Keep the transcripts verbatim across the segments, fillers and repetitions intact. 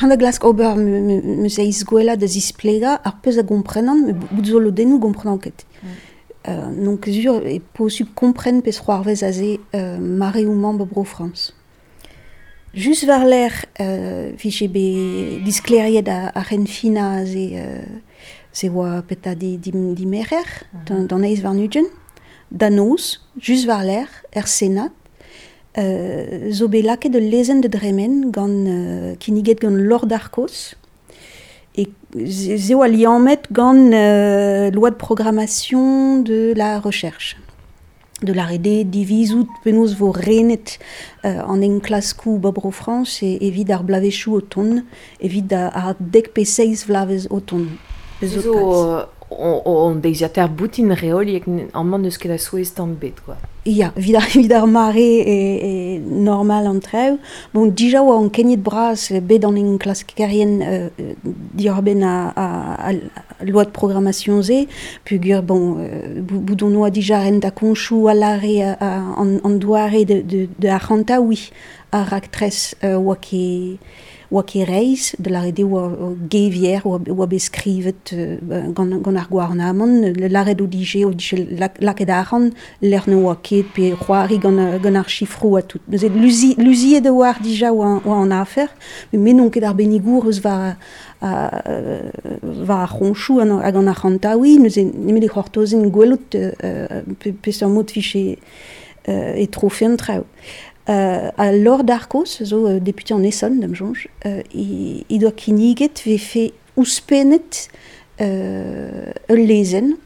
Han da glask ober me seiz gwella da zisplega ar peus a gomprenan, me bout zo lodennoù gomprenan ket. Mm. Euh, n'on ket sur e posub kompren pez c'hoarvez aze euh, mare ou mañ bro Frans. Just war l'air euh, vije be diskleriet a, a ren fina aze euh, se oa peta di, di, di merer, mm -hmm. d'an eiz war nugent, da noz, just war l'air, er Senat, euh, zo bet lakaet ul lezenn de dremen gant euh, kinniget gant Laure Darcos, e ze oa liammet gant euh, loi de programmation de la recherche. De la R D divizout penaos vo renet euh, an enklaskoù ba bro Frans e evit ar blavezhioù o tont, evit ar dek pe seizh vlavez o tont. Zo on deiziataer boutin reoliek amañ n'eus ket a souezh tamm bet, quoi. Ya, evit ar, evit ar mare e, e normal an traoù. Bon, dija oa an keniet bras bet an enklaskerien euh, diorben a, a, a loi de programmation ze, pugur, bon, euh, bout on oa dija rent a konchou a lare an, an doare de, de, de arc'hanta, oui, ar raktres euh, oa ket oa ket reizh, de lâret eo oa gevier, oa, oa bet skrivet euh, gant, gant ar gouarnamant, lâret o dije, o dije lakaet arc'hant, lec'h ne oa ket, pe c'hoari gant, gant ar chifroù ha tout. Neuze luzi, luziet oa ar dija oa, oa an afer, met n'on ket ar bennigour eus war, a, war ar c'honchoù hag an arc'hantaouiñ, neuze nemet e c'hortozen gwelout euh, peseurt mod vije euh, e trofe an traoù. Euh, a Laure Darcos, zo euh, député en Essonne, da'm soñj, euh, he, he doa kinniget vefe ouzhpennet euh, ul lezenn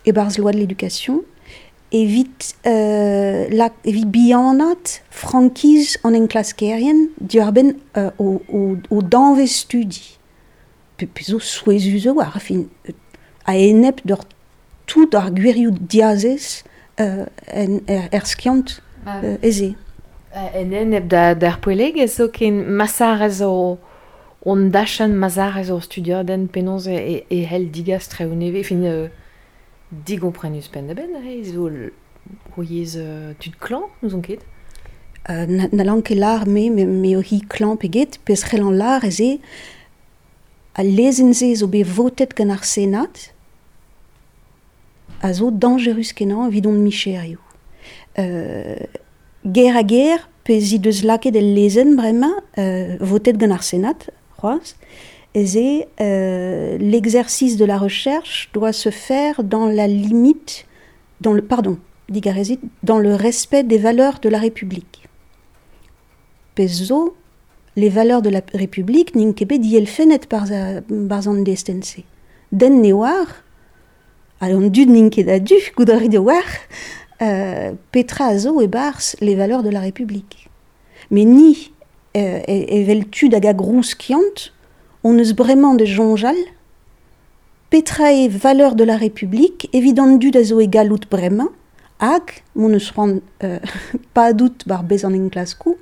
e-barzh loi de l'éducation evit, euh, la, evit bihanat frankiz an enklaskerien diwar-benn euh, o, o, o danvez studi. Pe, pe zo souezhus zo war, fin, a-enep d'ur tout ar gwirioù diazez euh, en, er, er skiant euh, ez eo. En enep da, d'ar poellegezh zo ken masarez o on dachenn masarez o studiadenn penaos e, e hell digas traoù nevez, fin euh, digomprenus penn-da-benn, re zo o yezh euh, tud klañv, n'ouzon ket. Euh, na, n'hallan ket lâr me, me, me o hi klañv pe get, pezh c'hellan lâr ez eo al lezenn-se zo bet votet gant ar Senat a zo dañjerus kenañ evit hon micherioù. Euh, ger ha ger, pe zi deus lakaet el lezenn bremañ, euh, votet gant ar Senat, c'hoazh, ez eo euh, l'exercice de la recherche doit se faire dans la limite, dans le, pardon, digarezit, dans le respect des valeurs de la République. Pezh zo, les valeurs de la République n'int ket bet dielfennet barzh an destenn-se. Den ne oar, hag an dud n'int ket a-du, goût a rit oar, euh, petra a zo e-barzh les valeurs de la République. Met ni euh, evel tud hag a grou skiant, on eus bremañ da soñjal, petra eo valeur de la République evit an dud a zo e galloud bremañ, hag, m'hon eus c'hoant euh, padout war bez an enklaskoù,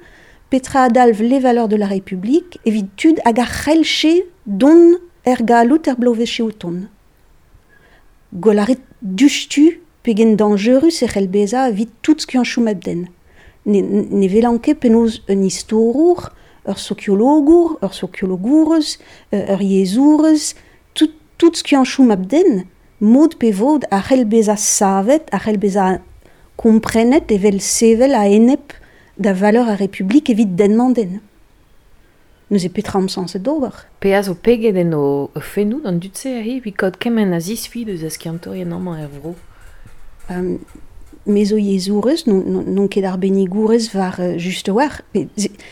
petra a dalv les valeurs de la République evit tud hag a c'hellche dont er galloud er bloavezhioù o tont. Gwell a rit diouzhtu pegen dañjerus e c'hell bezañ evit tout skianchoù mab-den. Ne, ne welan ket penaos un istorour, ur sokiologour, ur sokiologourez, ur yezhourez, tout, tout skianchoù mab-den, mod pe vod a c'hell bezañ savet, a c'hell bezañ komprenet evel sevel a-enep da valeur ar Republik evit den-mañ den. Neuze petra omp sañset d'ober. Pe a zo peget en o fennoù d'an dud-se aze evit kaout kement a zisfi deus a skiantourien amañ er vro. Um, me zo yezhourez, n'on ket arbennigourez war uh, just war.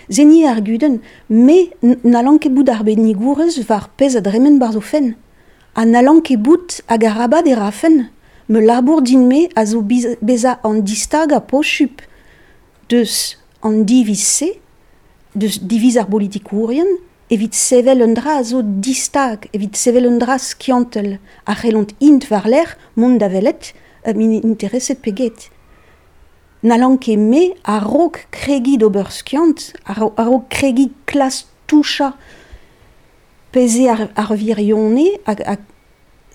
Se ni ar gudenn, me n'hallan ket bout arbennigourez war pezh a dremen barzh o fenn. Ha n'hallan ket bout hag arabat e rafen. Me labour din-me a zo bezañ an distagañ posupl deus an diviz-se, deus diviz ar bolitikourien, evit sevel un dra a zo distag, evit sevel un dra skiantel, a c'hellont int war-lerc'h mont da welet, min intereset pe get. N'hallan ket me a-raok kregiñ d'ober skiant, a-raok kregiñ klas touchañ pezh eo ar, ar wirionez hag, hag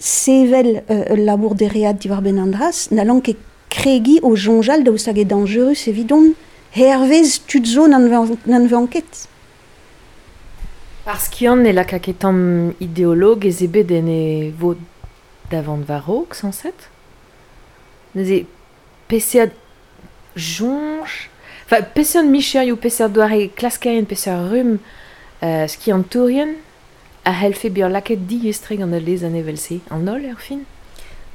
sevel euh, ul labour dereat diwar-benn an dra-se, n'hallan ket kregiñ o soñjal daoust hag eo dañjerus evidon, hervez tud zo n'an ket. Ar skiant ne laka ket tamm ideologezh ebet en e vod davant war-raok, sañset. Neuze peseurt soñj, enfin peseurt micherioù, peseurt doare klaskerien, peseurt rumm euh, skiantourien a c'hellfe bezañ lakaet diaes-tre gant al lezenn evel-se, an holl er fin?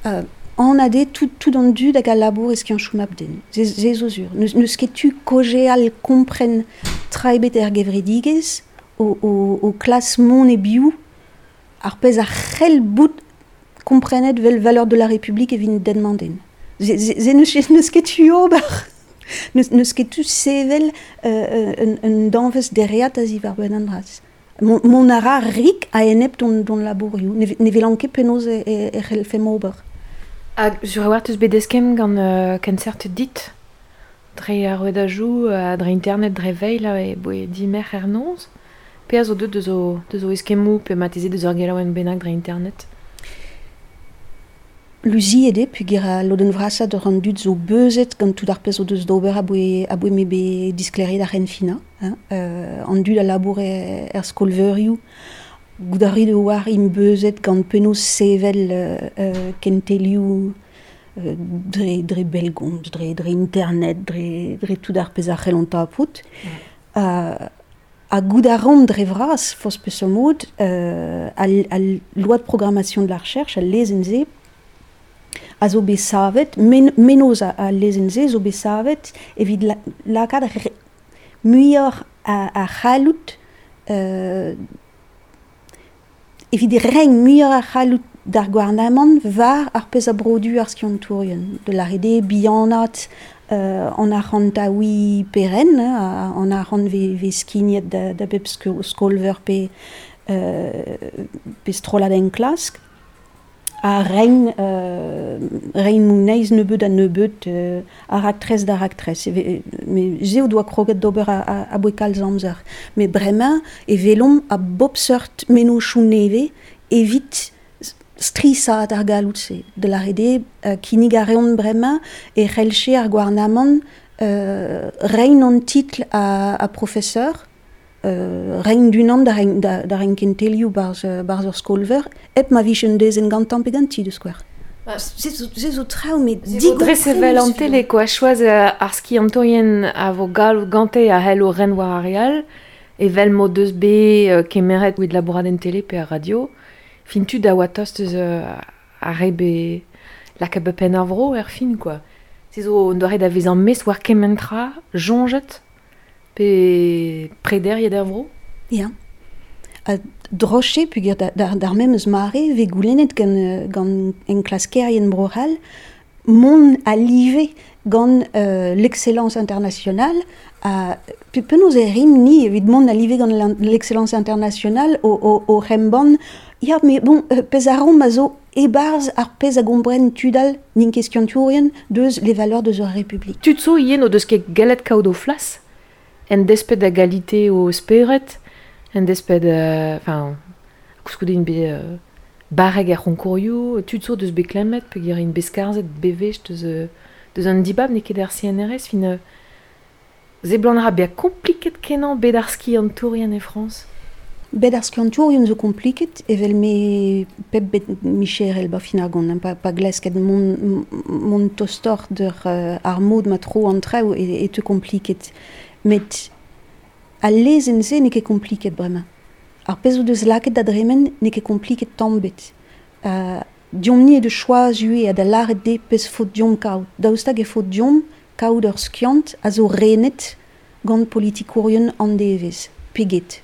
Euh, an ade tout, tout an dud hag al labour e skianchoù mab-den. Se, se zo sur. N'eus, n'eus ket tu kaozeal kompren tra ebet er gevredigezh o, o, o klas mont e-biou ar pezh a c'hell bout komprenet vel valeur de la République evit den-mañ-den. Se, se, se n'eus, n'eus ket tu ober. N'eus, n'eus ket tu sevel euh, un, un danvez dereat a ziwar-benn an dra-se. Mont, mont a ra rik a-enep d'hon, d'hon labourioù. Ne, ne welan ket penaos e, e, e c'hellfemp ober. Hag sur a-walc'h teus bet eskemm gant euh, kenseurt dit dre ar rouedajoù, euh, dre internet, dre veil e boe dimerc'h er noz. Pe a zo deut deus o, deus o eskemmoù pe marteze deus ur gelaouenn bennak dre internet? Luziet eo peogwir al lodenn vrasañ d'ur an dud zo beuzet gant tout ar pezh o deus d'ober aboe, aboe m'eo bet disklêriet ar c'henfinañ. Hein. Euh, an dud a labour er, er skolveurioù, goût a rit oar int beuzet gant penaos sevel euh, euh, kentelioù euh, dre, dre bellgomz, dre, dre internet, dre, dre tout ar pezh a c'hellont tapout. Mm. Euh, ha goût a ran dre vras, forzh peseurt mod, euh, al, al loi de programmation de la recherche, al lezenn-se, a zo bet savet, men, menoz a, a lezenn-se zo bet savet evit la, lakaat re, muioc'h a, a c'halloud, euh, evit reiñ muioc'h a c'halloud d'ar gouarnamant war ar pezh a brodu ar skiantourien. De la eo bihanaat euh, an arc'hantaouiñ peren, hein, an arc'hant ve, ve skignet da, da bep sko-, skolveur pe, euh, pe strollad enklask. A reiñ, euh, reiñ moneiz nebeut a nebeut, euh, a raktres da raktres. E ve, me se o doa kroget d'ober a, a, aboe kalz amzer. Met bremañ e welomp a bep seurt mennozhioù nevez evit strishaat ar galloud-se. De la eo euh, kinnig a reont bremañ e c'hellche ar gouarnamant, euh, reiñ an titl a, a professeur, euh, reiñ d'unan da reiñ, da, da reiñ kentelioù barzh, barzh ur skolveur, hep ma vije un dezenn gantañ pe ganti da skouer. Ba, Se zo, se zo traoù, met Se zo dres evel an digomprenus tele, quoi. Choaz, euh, ar skiantourien a vo galloud gante a c'hello ren war ar re all, evel m'o deus bet, euh, kemeret evit labourat en tele pe ar radio, fin tud a oa tost eus, euh, ar re bet lakaet bet penn ar vro er fin, quoi. Se zo un doare da vezañ mestr war kement tra, soñjet, pe prederiet er vro. Ya. Ha droch eo peogwir da, da, d'ar memes mare ve goulennet gant, euh, gant enklaskerien Bro-C'hall mont a live gant, euh, l'excellence internationale a, pe penaos e rimp ni evit mont a live gant l'in-, l'excellence internationale o, o, o remban ya, mais bon, euh, pezh a ran ma zo e-barzh ar pezh a gompren tud all n'int ket skiantourien deus les valeurs deus ur République. Tud zo ivez n'o deus ket gallet kaout o flas, en desped da galite o spered, en desped, euh, enfin, koulskoude int bet, euh, barrek er c'honkourioù, tud zo deus bet klemmet, peogwir int bet skarzhet bewech deus, euh, deus an dibab n'eo ket ar C N R S, fin, euh, seblant a ra bezañ kompliket kenañ bet ar skiantourien e Frañs. Bet ar skiantourien zo kompliket, evel me pep bet micherel ba fin ar gont, hein, pa, pa glasket mont, mont tostoc'h d'ur, euh, ar mod ma tro an traoù e, e teu kompliket. Met al lezenn-se n'eo ket kompliket bremañ. Ar pezh o deus lakaet da dremen n'eo ket kompliket tamm ebet. Euh, Deomp-ni eo da choaz ivez ha da lâret dezhe pezh faot deomp kaout. Daoust hag e faot deomp kaout ur skiant a zo renet gant politikourien an devezh, pe get.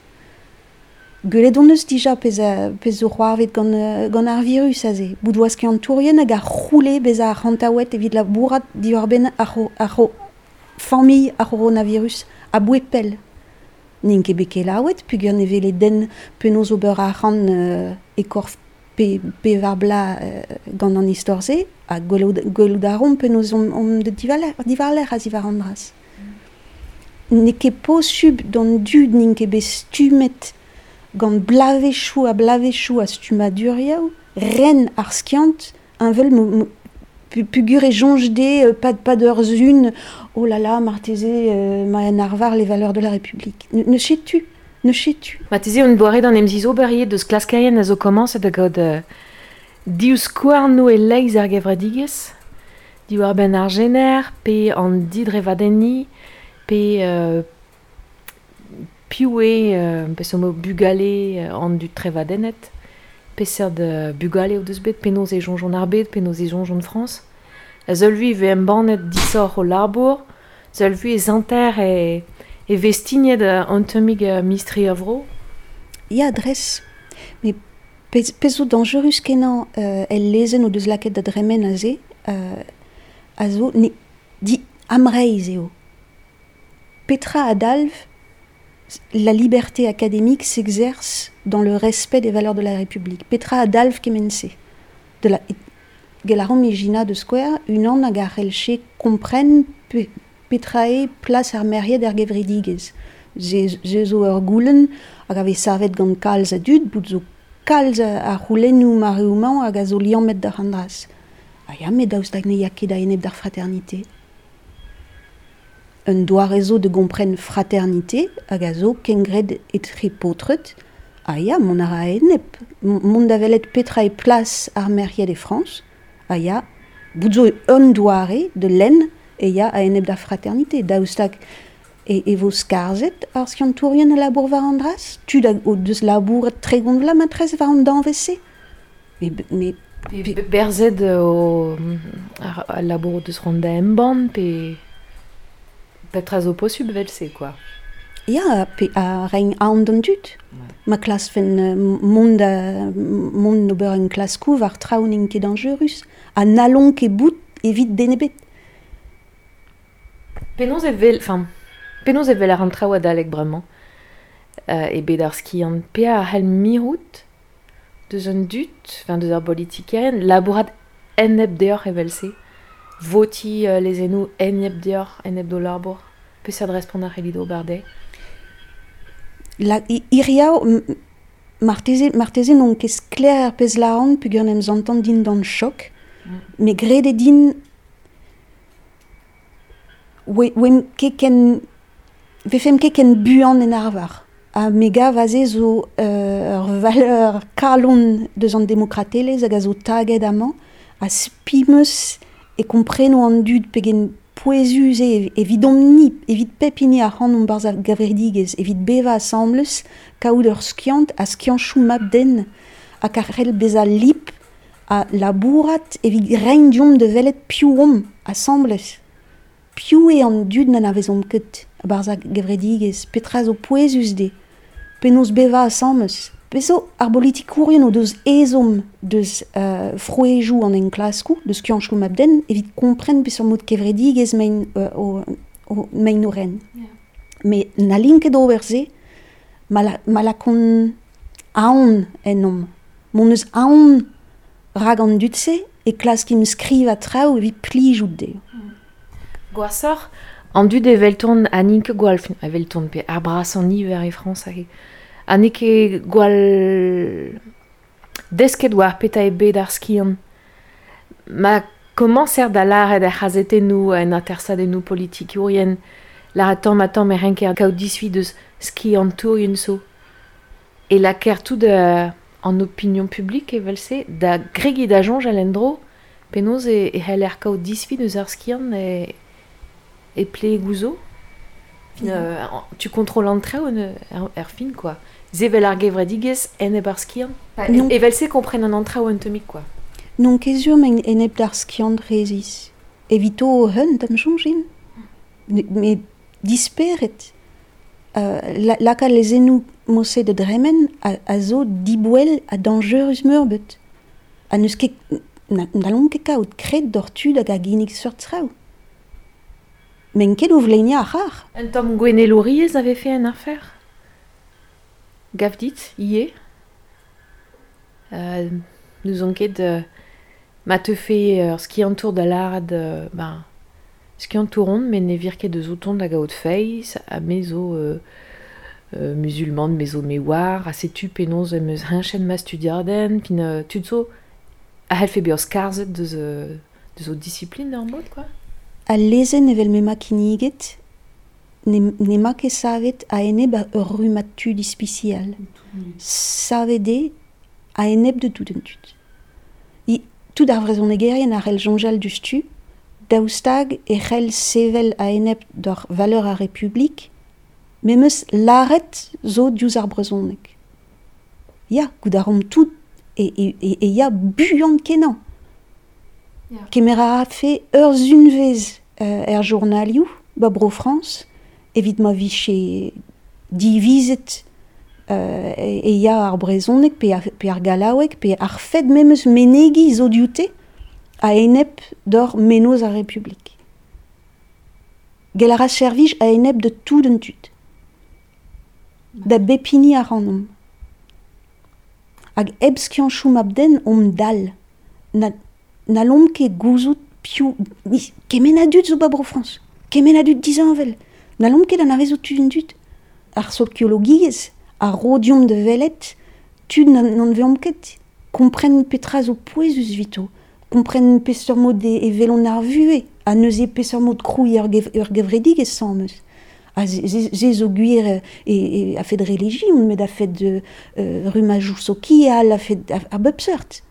Gwelet hon eus dija pezh a, pezh zo c'hoarvet gant, euh, gant ar virus aze. Bout oa skiantourien hag a c'houle bezañ arc'hantaouet evit labourat diwar-benn ar c'ho-, ar c'ho-, familh ar c'horonavirus aboe pell. N'int ket bet kelaouet, peogwir ne wele den penaos ober arc'hant, euh, e korf pe, pevar bloaz, euh, gant an istor-se, ha gwelout, gwelout a ran penaos omp, omp deut diwar-lerc'h, diwar-lerc'h a-ziwar an dra-se. N'eo ket posubl d'an dud n'int ket bet stummet gant blavezhioù ha blavezhioù a stummadurioù, ren ar skiant, heñvel mo, mo, pu-, peogwir e soñj dezhe, euh, pas, pas d'ur zun, oh là là, marteze, euh, ma en arvar les valeurs de la République. Ne, ne sais-tu. Ne chetu. Ma teze on doare d'an emziz ober deus klaskerien a zo komañset da gaout euh, div skouarnoù e leizh ar gevredigezh, diwar benn ar jener, pe an didrevadenni, pe euh, piv eo euh, pe somo bugale an dud trevadennet, peseurt euh, bugale o deus bet, penaos e soñjont ar bed, penaos e soñjont Frañs. A seul vui ve embannet disoc'h o labour, seul vui e zanter e... E vestignet an tammig mistri a vro? Ya, dres. Met pezh, pezh zo dañjerus kenañ euh, el lezenn o deus lakaet da dremen aze, euh, a zo ne, di amreizh eo. Petra a dalv, la liberté académique s'exerce dans le respect des valeurs de la République. Petra a dalv kement-se. De la, gelarom ijina de Square, unan hag ar c'hellche kompren pe, petra eo plas ar merc'hed er gevredigezh. Ze, ze zo ur goulenn hag a vez savet gant kalz a dud, bout zo kalz a c'houlennoù mareoù-mañ hag a zo liammet d'ar an dras. Ha ya, met daoust hag ne ya ket a-enep d'ar fraternité. Un doare zo de gompren fraternité hag a zo kengred etre paotred, ha ya, mont a ra a-enep. Mont da welet petra eo plas ar merc'hed e Frañs, ha ya, bout zo un doare de lenn e ya a-enep d'ar fraternité. Daoust hag e, e vo skarzhet ar skiantourien a labour war an dras? Tud hag o deus labouret tregont vloaz matrez war an danvez-se. Met, met Pe berzet o ar, al labour o deus c'hoant da embann, pe petra zo posubl evel-se, quoi. Ya, pe a reiñ aon d'an dud. Ma klaskfen mont da mont d'ober un klaskoù war traoù n'int ket dañjerus. Ha n'hallont ket bout evit den ebet. Penaos e vel, enfin, penaos e vel ar an traoù adalek bremañ euh, e bet ar skiant pe a c'hell mirout deus an dud, enfin deus ar politikerien, labourat enep deoc'h evel-se, voti euh, lezennoù enep deoc'h, enep d'o labour, peseurt respont a c'hellit ober dezhe? La, iriaou, marteze, marteze n'on ket sklaer ar pezh lâran peogwir en em zantan dindan chok, mm. met graet eo din oe, oemp ket ken, vefemp ket ken buan en arvar. Ha me gav aze zo euh, ur valeur kalon deus an demokratelezh hag a zo taget amañ, ha spi 'm eus e kompreno an dud pegen pouezus eo evidomp-ni, evit pep hini ac'hanomp barzh ar gevredigezh, evit bevañ asambles, kaout ur skiant ha skianchoù mab-den, hag a c'hell bezañ lip ha labourat evit reiñ deomp da welet piv omp asambles. Piv eo an dud n'anavezomp ket barzh ar gevredigezh, petra zo pouezus dezhe, penaos bevañ asambles. Pezh zo ar bolitikourien o deus ezhomm deus euh, frouezhioù an enklaskoù, deus skianchoù mab-den, evit kompren peseurt mod kevredigezh maint euh, o, o, maint o ren. Yeah. Met n'hallint ket ober se, ma la, ma lakont aon ennomp. M'hon eus aon rak an dud-se e klaskimp skrivañ traoù evit plijout dezho. Gwashoc'h, an dud evelton ha n'int ket gwall, evelton pe ar brasañ niver e Frañs hag ha n'eo ket gwall desket war petra eo bet ar skiant. Ma komañser da lâret er c'hazetennoù en atersadennoù politikourien, lâret tamm ha tamm e renker kaout disfi deus skiantourien zo. E lakaer tout euh, an opinion publique evel-se da gregiñ da soñjal en-dro, penaos e, e c'heller kaout disfi deus ar skiant e, e plegoù zo. Fin, euh, tu contrôles an traoù er, er fin, quoi. Sevel ar gevredigezh enep ar skiant. Non. Evel-se kompren an traoù un tammig, quoi. N'on ket sur maint enep d'ar skiant rezis. Evito o hun da'm soñjin. Met disperet. Euh, la, lakaat lezennoù mod-se da dremen a, a zo diboell ha dañjerus meurbet. Ha n'eus ket, n'hallomp ket kaout kred d'hor tud hag a ginnig seurt traoù. Men ket o vleiniañ ar c'harr. Un tamm gouennelouriezh a vefe en afer? Gav dit, ivez. Euh, n'ouzon ket euh, ma teufe ur skiantour da lâret euh, ben, skiantour on, met ne vir ket deus outon da gaout feiz, ha me zo euh, euh, musulman, me zo me oar, ha setu penaos em eus heñchet ma studiadenn, pin euh, tud zo a c'hellfe bezañ skarzhet deus, euh, deus o disipline ur mod, quoi. Al lezenn evel m'emañ kinniget Ne, n'ema ket savet a-enep ur rummad tud ispisial. Savet eo a-enep da tout an tud. I, tout ar vrezhonegerien a c'hell soñjal diouzhtu, daoust hag e c'hell sevel a-enep d'ur valeur ar Republik, memes lâret zo diouzh ar brezhoneg. Ya, goût a ran tout e, e, e, e ya buan kenañ. Ya. Kemer a rafe ur sunvezh euh, er journalioù, ba Bro-Frañs, evit ma vije divizet euh, e, e ya ar brezhoneg pe ar, pe ar gallaoueg pe ar fed memes menegi zo dioute a-enep d'ur mennozh ar Republik. Gell a ra servij a-enep de tout an tud. Da bep hini ac'hanomp. Hag hep skianchoù mab-den omp dall. Na, n'hallomp ket gouzout piv... Kement a dud zo ba Bro-Frañs. Kement a dud disheñvel. N'hallomp ket anavezout tud an dud. Ar sokiologiezh, ar ro deomp da welet, tud n'anavezomp ket. Kompren petra zo pouezus evito. Kompren peseurt mod e, e welont ar vuhez. Ha neuze peseurt mod krouiñ ur, gev, ur gevredigezh asambles. Ha se, se zo gwir e, e, a-fet relijion, met a-fet euh, rummajoù sokial, a-fet a, a bep seurt.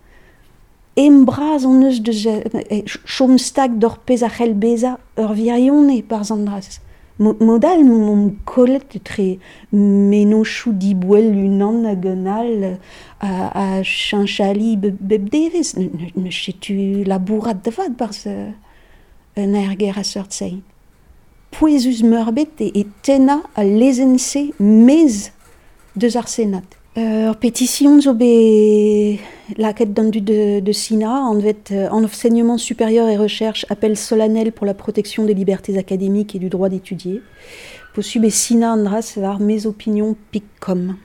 Em bras hon eus deus chom stag d'ur pezh a c'hell bezañ ur wirionez barzh an dra-se. Mod all m'omp kollet etre mennozhioù diboell unan hag un all a, a cheñch ali bep devezh. Ne setu labourat da vat barzh un aerger a seurt-se. Pouezus meurbet e, e tennañ al lezenn-se maez deus ar Senat. Ur petition zo bet lakaet d'an dud de, de sinañ, anvet Enseignement supérieur et recherche, appel solennel pour la protection des libertés académiques et du droit d'étudier. Posubl eo sinañ an dra-se war mesopinions pik com.